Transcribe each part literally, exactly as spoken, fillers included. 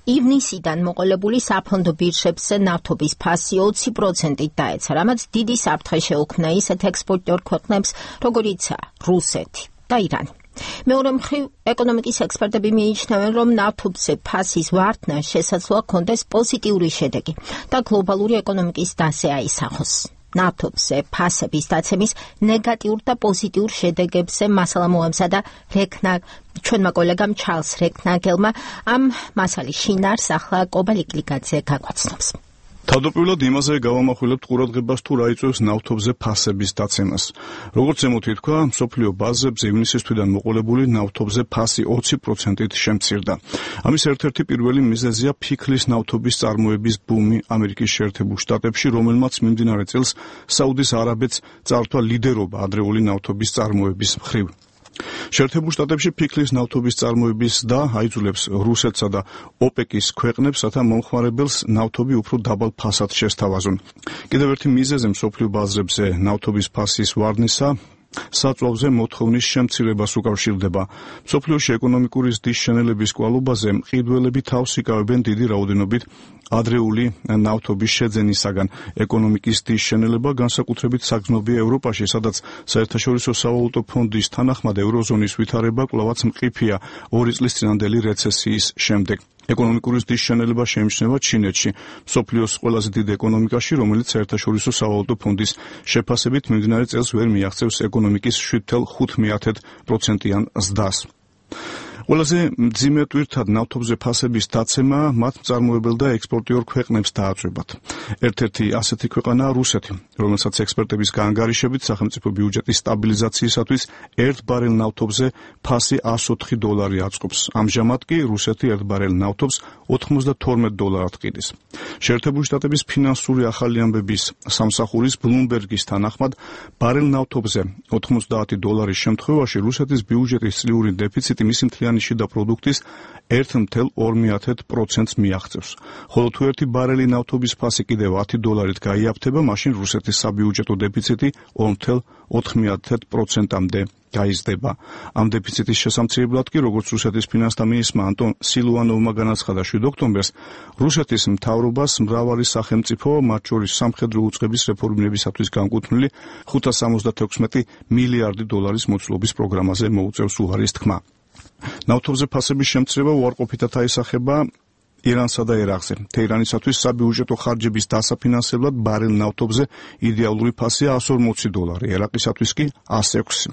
ივნისიდან მოყოლებული საფონდო ბირჟებზე ნავთობის ფასი ოცი პროცენტით დაეცა, რამაც დიდი საფრთხე შეუქმნა ისეთ ექსპორტიორ ქვეყნებს, როგორიცაა რუსეთი და ირანი. მეორე მხრივ, ეკონომიკის ექსპერტები მიიჩნევენ, რომ ნავთობზე ფასის ვარდნა შესაძლოა ჰქონდეს პოზიტიური შედეგი და გლობალური ეკონომიკის დასე აისახოს. ნავთობზე ფასების დაცემის ნეგატიურ და პოზიტიურ შედეგებზე მასალა მოამზადა რეკნა ჩვენმა კოლეგამ ჩარლს რეკნაგელმა. ამ მასალის შინაარს ახლა კობალიკლიძე გაგვაცნობს. თავდაპირველად იმაზე გავამახვილებთ ყურადღებას თუ რა იწვევს ნავთობზე ფასების დაცემას. როგორც ზემოთ ითქვა, მსოფლიო ბაზრებზე ივნისის თვიდან მოყოლებული ნავთობზე ფასი ოცი პროცენტით შემცირდა. ამის ერთ-ერთი პირველი მიზეზია ფიქლის ნავთობის წარმოების ბუმი ამერიკის შეერთებულ შტატებში, რომელმაც მიმდინარე წელს საუდის არაბეთს წაართვა ლიდერობა ადრეული ნავთობის წარმოების მხრივ. შეერთებულ შტატებში ფიქლის ნავთობის წარმოების და აიძულებს რუსეთსა და ოპეკის ქვეყნებს, რათა მომხმარებელს ნავთობი უფრო დაბალ ფასად შესთავაზონ. კიდევ ერთი მიზეზი მსოფლიო ბაზრებზე ნავთობის ფასის ვარდნისა საწვავზე მოთხოვნის შემცირებას უკავშირდება. მსოფლიოში ეკონომიკური ზრდის შენელების კვალობაზე მყიდველები თავს იკავებენ დიდი რაოდენობით ადრეული ნავთობის შეძენისაგან. ეკონომიკის ზრდის შენელება განსაკუთრებით საგრძნობია ევროპაში, სადაც საერთაშორისო სავალუტო ფონდის თანახმად ევროზონის ვითარება კვლავაც მყიფეა ორი წლის წინანდელი რეცესიის შემდეგ. ეკონომიკური ზრდის შენელება შეიმჩნევა ჩინეთში, მსოფლიოს ყველაზე დიდ ეკონომიკაში, რომელიც საერთაშორისო სავალუტო ფონდის შეფასებით მიმდინარე წელს ვერ მიაღწევს ეკონომიკის შვიდ ათეულ ხუთ პროცენტიან ზრდას. ყველაზე მძიმე ტვირთად ნავთობზე ფასების დაცემა მათ მწარმოებელ და ექსპორტიორ ქვეყნებს დააწვევათ. ერთ-ერთი ასეთი ქვეყანაა რუსეთი, რომელსაც ექსპერტების გაანგარიშებით სახელმწიფო ბიუჯეტის სტაბილიზაციისათვის ერთ ბარელ ნავთობზე ფასი εκατს ოთხი დოლარი აწყობს. ამჟამად კი რუსეთი ერთ ბარელ ნავთობს ოთხმოცდათორმეტ დოლარად ყიდის. შეერთებული შტატების ფინანსური ახალი ამბების სამსახურის ბლუმბერგის თანახმად, ბარელ ნავთობზე ოთხმოცდაათი დოლარის შემთხვევაში რუსეთის ბიუჯეტის წლიური დეფიციტი მისი მთლიანი შიდა პროდუქტის ერთ ათეულ ორი პროცენტს მიაღწევს. ხოლო თუ ერთი ბარელი ნავთობის ფასი კიდევ ათი დოლარით გაიაფთება, მაშინ რუსეთის საბიუჯეტო დეფიციტი ორი ათეულ ოთხი პროცენტამდე გაიზრდება. ამ დეფიციტის შესამცირებლად კი, როგორც რუსეთის ფინანსთა მინისტრმა ანტონ სილუანოვმა განაცხადა შვიდ ოქტომბერს, რუსეთის მთავრობას მრავალი სახელმწიფო, მათ შორის სამხედრო უწყების რეფორმირებისათვის განკუთვნილი ხუთას სამოცდათექვსმეტი მილიარდი დოლარის მოცულობის პროგრამაზე მოუწევს უარის თქმა. ნავთობზე ფასების შემცირება უარყოფითად აისახება ირანსა და ერაყზე. თეირანისათვის საბიუჯეტო ხარჯების დასაფინანსებლად ბარელ ნავთობზე იდეალური ფასია εκατს ორმოცი დოლარი, ერაყისათვის კი εκατს ექვსი.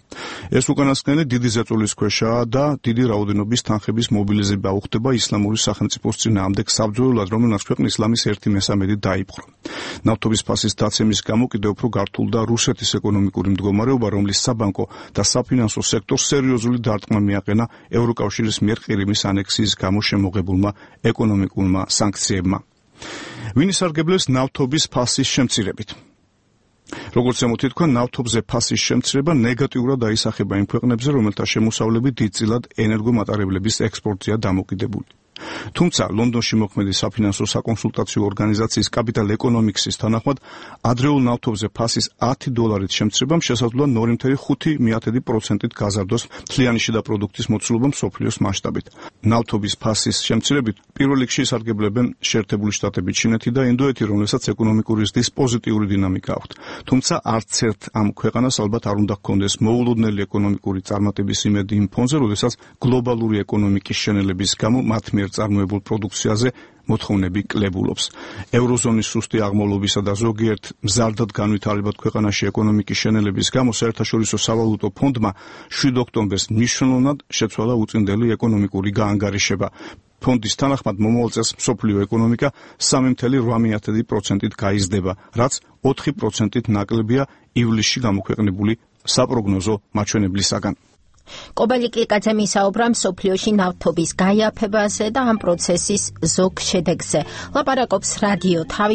ეს უკანასკნელი დიდი ზეწოლის ქვეშაა და დიდი რაოდენობის თანხების მობილიზება უხდება ისლამური სახელმწიფოს წინააღმდეგ საბრძოლველად, რომელმაც ქვეყნის ისლამის ერთი მესამედი დაიპყრო. ნავთობის ფასის დაცემის გამო კიდევ უფრო გართულდა რუსეთის ეკონომიკური მდგომარეობა, რომლის საბანკო და საფინანსო სექტორს სერიოზული დარტყმა მიაყენა ევროკავშირის მიერ ყირიმის ანექსიის გამო შემოღებულმა ეკონომიკურმა სანქციებმა. ვინ ისარგებლეს ნავთობის ფასის შემცირებით? როგორც ზემოთ ითქვა, ნავთობზე ფასის შემცირება ნეგატიურად აისახება იმ ქვეყნებზე, რომელთა შემოსავლები დიდწილად ენერგომატარებლების ექსპორტზეა დამოკიდებული. თუმცა ლონდონში მოქმედი საფინანსო საკონსულტაციო ორგანიზაციის Capital Economics-ის თანახმად, ადრეულ ნავთობზე ფასის ათი დოლარით შემცირებამ შესაძლოა ორი ათეულ ხუთი პროცენტით გაზარდოს მთლიანი შიდა პროდუქტის მოცულობა მსოფლიოს მასშტაბით. ნავთობის ფასის შემცირებით პირველ რიგში ისარგებლებენ შეერთებული შტატები, ჩინეთი და ინდოეთი, რომელსაც ეკონომიკური ზრდის პოზიტიური დინამიკა აქვთ. თუმცა არც ერთ ამ ქვეყანას ალბათ არ უნდა ჰქონდეს მოულოდნელი ეკონომიკური წარმატების იმედი იმ ფონზე, როდესაც გლობალური ეკონომიკის შენელების გამო მათ მიერ წარმოებულ პროდუქციაზე მოთხოვნები კლებულობს. ევროზონის სუსტი აღმავლობისა და ზოგიერთ მზარდად განვითარებად ქვეყანაში ეკონომიკის შენელების გამო საერთაშორისო სავალუტო ფონდმა შვიდ ოქტომბერს მნიშვნელოვნად შეცვალა უწინდელი ეკონომიკური გაანგარიშება. ფონდის თანახმად მომავალ წელს მსოფლიო ეკონომიკა სამი ათეულ ორი პროცენტით გაიზრდება, რაც ოთხი პროცენტით ნაკლებია ივლისში გამოქვეყნებული საპროგნოზო მაჩვენებლისაგან. კობალიკლიძე მისაუბრა მსოფლიოში ნავთობის გაიაფებაზე და ამ პროცესის ზოგ შედეგზე. ლაპარაკობს რადიო თავი